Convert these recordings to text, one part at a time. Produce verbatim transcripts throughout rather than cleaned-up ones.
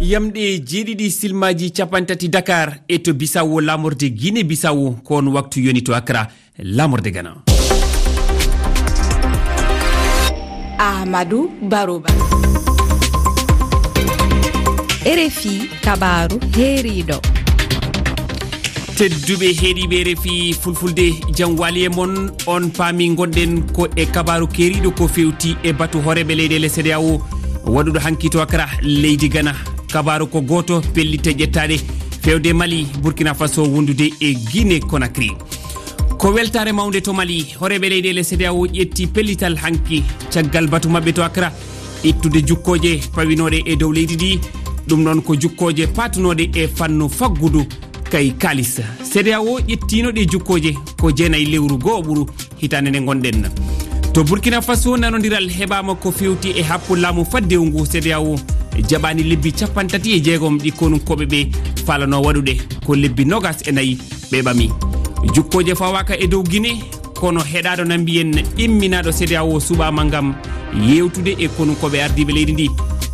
Yamɗe jeeɗiɗi silmaaji cappanɗe tati Dakar e to Bisawo, laamorde Guinée Bisawo, ko on waktu yoni to Accra, laamorde Ghana. Ahmadou Barouba. R F I kabaaru heeriiɗo. Tedduɓe heɗiiɓe R F I Fulfulde, jam waali e mon. On paami ngonɗen ko e kabaaru keeriiɗo ko fewti e batu hooreeɓe leyɗeele C E D E A O waɗuɗo hanki to Accra, leydi Ghana. Kabaaru ko gooto, pellitte ƴettaaɗe fewde Mali, Burkina Faso wondude e Guinée Conakry. Ko weltaare mawnde to Mali, hooreeɓe leyɗeele C E D E A O ƴetti pellital hanki caggal batu maɓɓe to Accra, ittude jukkooje pawinooɗe e dow leydi ndi. Ɗum noon ko jukkooje paatunooɗe e fannu faggudu kay kaalis. C E D E A O ƴettiino ɗe jukkooje ko jeenayi lewru goo ɓuru hitaande nde ngonɗen. To Burkina Faso, nanondiral heɓaama ko fewti e happu laamu faddewu ngu. C E D E A O jaɓaani lebbi cappanɗe tati e jeegom ɗi konunkooɓe ɓe faalano waɗude, ko lebbi noogas e nayi ɓe ɓami. Jukkooje fawaaka e dow Guinée, kono heɗaaɗo na mbiyen imminaaɗo C E D E A O suɓaama ngam yeewtude e konunkooɓe ardiiɓe leydi ndi.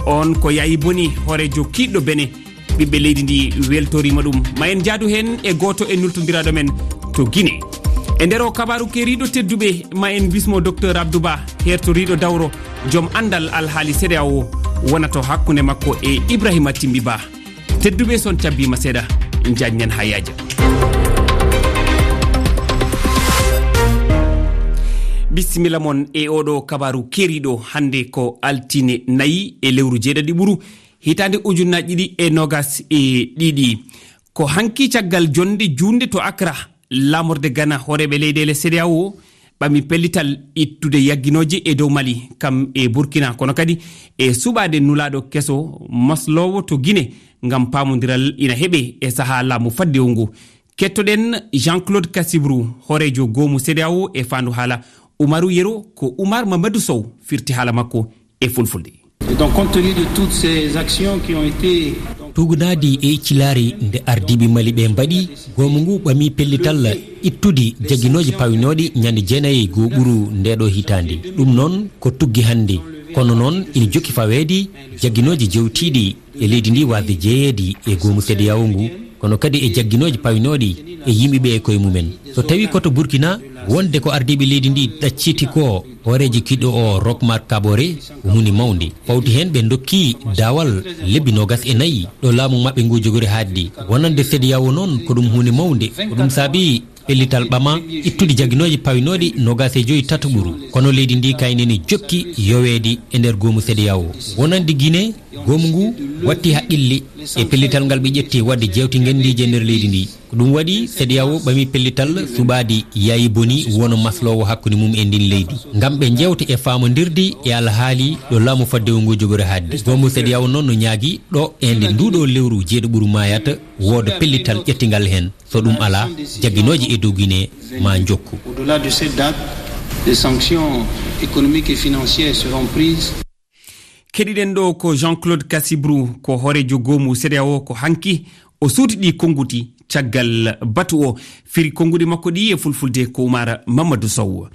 On ko Yayi Boni, hooreejo kiiɗɗo Benin. Ɓiɓɓe leydi ndi weltoriima ɗum. Ma en njaadu heen e gooto e nultondiraaɗo men to Guinée. E nder o kabaaru keeriiɗo tedduɓe, ma en bismo Docteur Abdou Ba, heertoriiɗo dawro, joom anndal alhaali C E D E A O, wona to hakkunde makko e Ibrahima Timbi Ba. Tedduɓe, so on cabbiima seeɗa, njaajnen haa yaaja. Bisimilla mon e oɗo kabaaru keeriiɗo. Hannde ko altine nayi e lewru jeeɗaɗi ɓuru, hitaande ujunnaaji ɗiɗi e noogas e ɗiɗi. Ko hanki caggal jonnde juunde to Accra, laamorde Ghana, hooreeɓe leyɗeele C E D E A O ɓami pellital ittude yagginooje e dow Mali, kam e Burkina, kono kadi e suɓaade nulaaɗo keso masloowo to Guinée ngam paamondiral ina heɓe e sahaa laamu faddewu ngu. Kettoɗen Jean-Claude Cassibrou, hooreejo goomu C E D E A O e faandu haala Umaru Yero, ko Umar Mamadou Sow firti haala makko e fulfulde. Et donc, compte tenu de toutes ces actions qui ont été Tuugnaadi e iccilaari nde ardiiɓe Mali ɓe mbaɗi, goomu ngu ɓami pellital ittude jagginooji pawinooɗi ñande jeenayi goo ɓuru ndeeɗo hitaande. Ɗum noon ko tuggi hannde. Kono noon ina jokki faweede jagginooji jewtiiɗi e leydi ndi waasde jeyeede e goomu C E D E A O ngu, kono kadi e jagginooji pawinooɗi e yimɓe ɓe e koye mumen. So tawii ko to Burkina, wonde ko ardiiɓe leydi ndi ɗacciti ko, hooreejo kiiɗɗo o, Roch Marc Kaboré, ko huunde mawnde. Fawti heen ɓe ndokki daawal lebbi noogas e nayi ɗo laamu maɓɓe ngu jogori haaɗde. Wonande C E D E A O noon ko ɗum huunde mawnde. Ko ɗum saabi pellital ɓama ittude jagginooji pawinooɗi noogas e joyi tataɓuru. Kono leydi ndi kayne ne jokki yoweede e nder goomu C E D E A O. Wonande Guinée, goomu ngu watti haqqille e pellital ngal ɓe ƴetti waɗde jeewte ngenndiije e nder leydi ndi. Ko ɗum waɗi C E D E A O ɓami pellital suɓaade Yayi Boni wona masloowo hakkunde mum e ndin leydi, ngam ɓe njeewta e faamondirde e alhaali ɗo laamu faddewu ngu jogori haaɗde. Goomu C E D E A O noon no ñaagi ɗo e nde nduɗo lewru jeeɗo ɓuru maayata wooda pellital ƴettingal heen. So ɗum alaa, jagginooje e dow Guinée ma njokku. Au-delà de cette date, des sanctions économiques et financières seront prises. Keɗiɗen ɗo ko Jean-Claude Cassibrou, ko hooreejo goomu C E D E A O, ko hanki o suuti ɗi konnguɗi caggal batu o. Firi konnguɗi makko ɗi e fulfulde ko Oumar Mamadou Sow.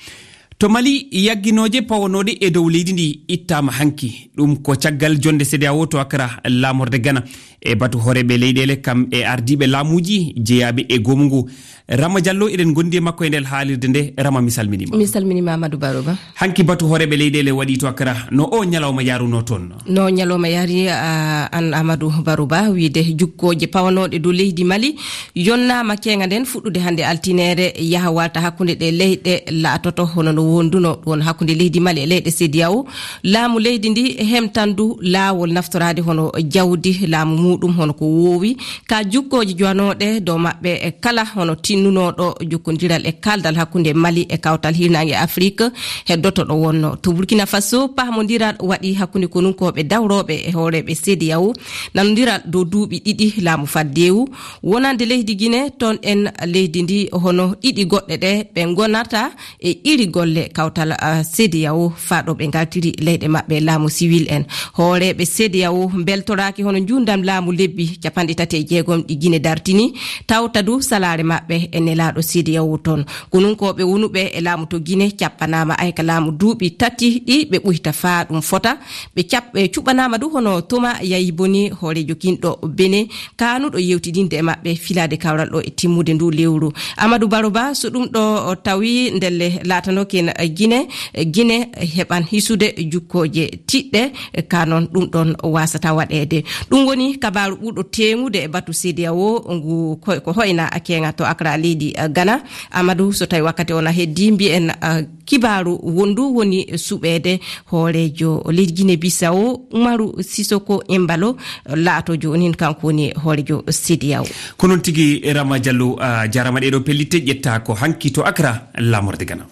To Mali, yagginooje pawanooɗe e dow leydi ndi ittaama hanki. Ɗum ko caggal jonnde C E D E A O to Accra, laamorde Ghana, e batu hooreeɓe leyɗeele kam e ardiiɓe laamuuji jeyaaɓe e goomu ngu. Rama Diallo, eɗen ngondi e makko e nder haalirde nde. Rama, mi salminiima. Mi salminiima, Amadou Barouba. Hanki batu hooreeɓe leyɗeele waɗi to Accra. No o ñalawma yaruno toon? No ñalawma yari, a, an Amadou Barouba, wiide jukkooje pawanooɗe dow leydi Mali yonnaama keeŋa nden fuɗɗude hannde altineere, yaha waalta hakkunde ɗe leyɗe laatoto hono no wonduno ɗon hakkunde leydi Mali e leyɗe C E D E A O. Laamu leydi ndi hemtan du laawol naftoraade hono jawdi laamu muuɗum, hono ko woowi ka jukkooji jowanooɗe dow maɓɓe kala, hono tinnunooɗo jokkondiral e kaaldal hakkunde Mali e kawtal hirnaange Afrik heddoto ɗo wonno. To Burkina Faso, pahmondiral waɗi hakkunde konunkooɓe dawrooɓe e hooreeɓe C E D E A O, nanondiral dow duuɓi ɗiɗi laamu faddeewu. Wonande leydi Guinée, toon en leydi ndi hono ɗiɗi goɗɗe ɗe ɓe ngonata e iri golle. e kawtal, ah, CEDEAO faa ɗo ɓe ngaltiri leyɗe maɓɓe laamu siwil en. Hooreeɓe CEDEAO mbeltoraaki hono njuundam laamu lebbi capanɗe tati e jeegom ɗi Gine dartini, tawta du salaare maɓɓe e nelaaɗo CEDEAO toon. Konunkooɓe wonuɓe e laamu to Gine cappanaama ay ka laamu duuɓi tati ɗi ɓe ɓuyta faa ɗum fota. Ɓe cap-, ɓe cuɓɓanaama du hono Toma Yayi Boni, hooreejo kinɗo Bene, kaanuɗo yewtidinde e maɓɓe filaade kawral ɗo e timmude ndu lewru. Amadou Baro Ba, so ɗum ɗo o tawi ndelle laatanooki en Gine, Gine heɓan hisude jukkooje tiɗɗe, ka noon ɗum ɗon waasata waɗeede. Ɗum woni kabaaru ɓurɗo teeŋude e batu CEDEAO ngu ko, ko hoyna keeŋa to Accra, leydi Ghana. Amadou, so tawi wakkati o na heddi, mbiyen, ah, kibaaru wondu woni suɓeede hooreejo leydi Guinée Bissau, Umaru Sisoko Embalo, laato jooni kanko woni hooreejo CEDEAO. Ko noon tigi, Rama Diallo, a jaaraama. Ɗeeɗo pellitte ƴetta ko hanki to Accra, laamorde Ghana.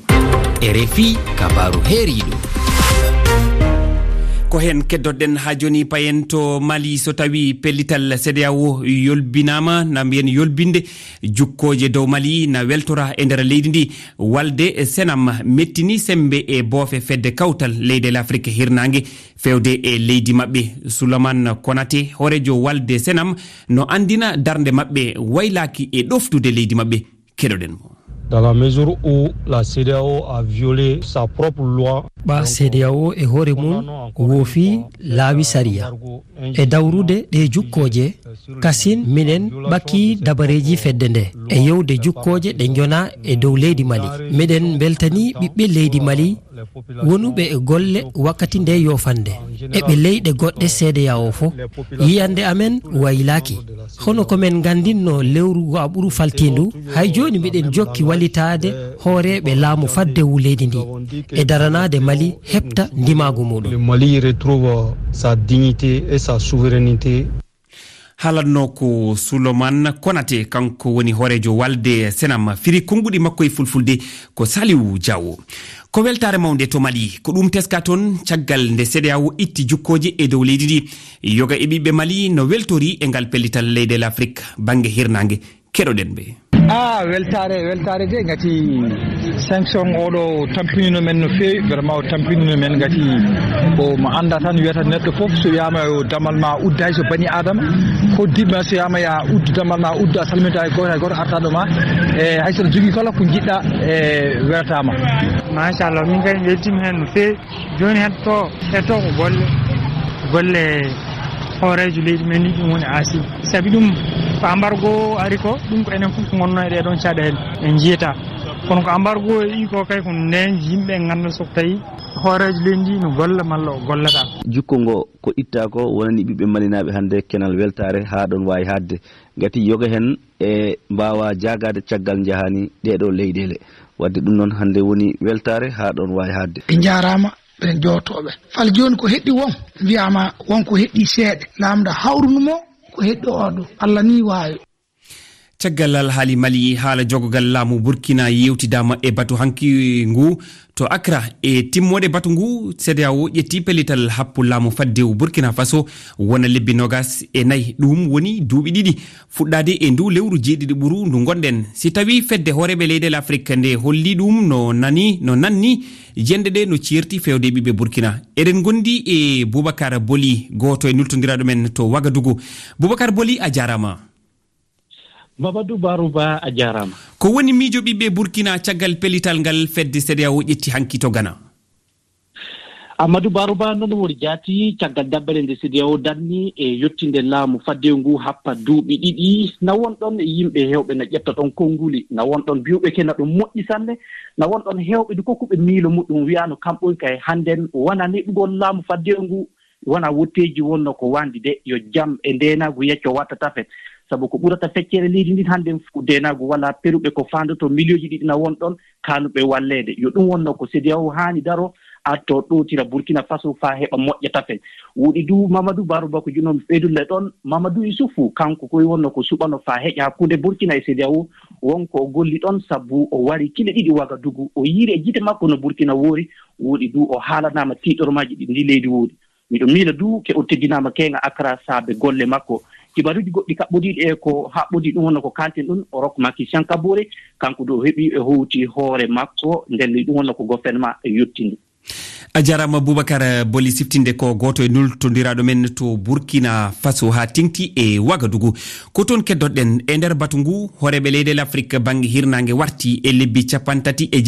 R F I, kabaaru heeriiɗo. Ko heen keddoɗen haa jooni, payen to Mali. So tawi pellital CEDEAO yolbinaama, na mbiyen yolbinde jukkooje dow Mali na weltora e nder leydi ndi. Walde Senam mettini semmbe e boofe fedde kawtal leyɗeele Afrik hirnaange fewde e leydi maɓɓe. Souleymane Konaté, hooreejo Walde Senam, no anndina darnde maɓɓe waylaaki e ɗoftude leydi maɓɓe. Keɗoɗen mo. Dans la mesure où la CEDEAO a violé sa propre loi, ɓa CEDEAO e hoore mum woofi laawi sariya. E dawrude ɗe jukkooje, kasin minen ɓakki dabareeji fedde nde e yewde jukkooje ɗe njona e dow leydi Mali. Miɗen mbeltani ɓiɓɓe leydi Mali wonuɓe e golle wakkati nde yoofande e ɓe leyɗe goɗɗe CEDEAO fof. Yiyande amen waylaaki. Hono ko men nganndinno lewru ngu a ɓuru faltiindu, hay jooni miɗen jokki wallitaade hooreeɓe laamu faddewu leydi ndi e daranaade Mali heɓta ndimaagu muɗum. Le Mali retrouve sa dignité et sa souveraineté. Haalatnoo ko Souleymane Konaté, kanko woni hooreejo Walde Senam. Firi konnguɗi makko e fulfulde ko Saliou Diawo. Ko weltaare mawnde to Mali. Ko ɗum teska toon caggal nde CEDEAO itti jukkooje e dow leydi ndi. Yoga e ɓiɓɓe Mali no weltori e ngal pellital leyɗeele Afrik bannge hirnaange. Keɗoɗen ɓe. Ah, weltaare, weltaare de, ngati sanction oɗo tampinino men no feewi, vraiment o tampinino men, ngati ko mo annda tan wiyata neɗɗo fof, so wiyama yo damal ma uddu, hay so bani Adama, ko diɓɓa, so wiyama ya uddu damal ma uddu, a salminta hay goto, hay goto arta ɗo ma, e hay so aɗa jogii kala ko jiɗɗa, e weltama. Machallah, min kay weltima hen no feewi. Jooni heddo, heddo ko golle, golle hooreejo leydi men ndi, ɗum woni A C. Sabi ɗum ko embargo ari ko, ɗum ko enen fof ko ngonno e ɗee ɗoon caɗeele en njiyata. Kono ko embargo e ko kay ko nden yimɓe ngannda so tawi hooreejo leydi ndi no golla malla o gollata. Jukko ngo ko itta ko wonani ɓiɓɓe malinaaɓe hannde kenal weltaare haa ɗoon waawi haadde. Ngati yoga heen e mbaawa jaagaade caggal njahaani ɗee ɗoo leyɗeele. Waɗde ɗum noon hannde woni weltaare haa ɗoon waawi haadde. Ɓe njaaraama, ɓen jootooɓe. Fal jooni ko heɗɗi won, wiyaama won ko heɗɗi seeɗa. Laamɗo hawrunu mo ko heɗɗi oo ɗoo. Allah nii waawi. Caggal alhaali Mali, haala jogogal laamu Burkina yeewtidaama e batu hanki ngu. To Accra, e timmoode batu ngu, CEDEAO ƴetti pellital happu laamu faddewu Burkina Faso wona lebbi noogas e nayi. Ɗum woni duuɓi ɗiɗi fuɗɗaade e ndu lewru jeeɗiɗi ɓuru ndu ngonɗen. Si tawii fedde hooreeɓe leyɗeele Afrik nde holli ɗum no nani, no nanni, jende ɗe no ceerti fewde ɓiɓɓe Burkina. Eɗen ngondi e Boubacar Boli, gooto e nultondiraaɗo men to Wagadugu. Boubacar Boli, a jaaraama. Mamadou Barouba, a jaaraama. Ko woni miijo ɓiɓɓe Burkina caggal pellital ngal fedde CEDEAO ƴetti hanki to Ghana? Amadou Barouba, noon woni jaati caggal dabbere nde CEDEAO danni e yettinde laamu faddewu ngu happa duuɓi ɗiɗi. Na won ɗoon yimɓe heewɓe na ƴetta ɗoon konnguli, na won ɗoon biyuɓe ke na ɗum moƴƴi sanne, na won ɗoon heewɓe du kokkuɓe miilo muɗum wiyaano kam ɓoy kay hannden wona neɗɗugol laamu faddewu ngu. Wona wotteeji wonno ko wanndi de, yo jam e ndeenaagu yecco watta tafet. Sabu ko ɓurata feccere leydi ndin hannden fof ko ndeenaagu wala peruɓe ko faandoto miliyooji ɗiɗi na won ɗon kaanuɓe walleede. Yo ɗum wonno ko CEDEAO haani daro, arto ɗootira Burkina Faso faa heɓa moƴƴa tafet. Woɗi du Mamadou Barouba ko junoomi feydulle ɗon. Mamadou Issoufou, kanko koy wonno ko suɓano faa heƴa hakkunde Burkina e CEDEAO. Won ko o golli ɗon sabu o wari kile ɗiɗi Wagadugu. O yiiri e gite makko no Burkina woori. Woɗi du o haalanaama tiiɗormaaji ɗi ndi leydi woodi. Miɗo miila du ke o teddinaama keeŋa Accra saabe golle makko. Kibaruuji goɗɗi kaɓɓodiiɗi e ko haɓɓodii ɗum wonno ko kalten ɗum, o rok Macky Sankabore, kanko ɗo heɓi e howti hoore makko, nden ɗum wonno ko gouvernement e yottini. A jarama Boubacar Boli siftinde ko goto e nultondiraaɗo men to Burkina Faso ha tengti e Wagadugu. Ko toon keddoɗen e nder batu ngu, hooreeɓe leyɗe Afrik bannge hirnaange warti e lebbi capanɗe tati e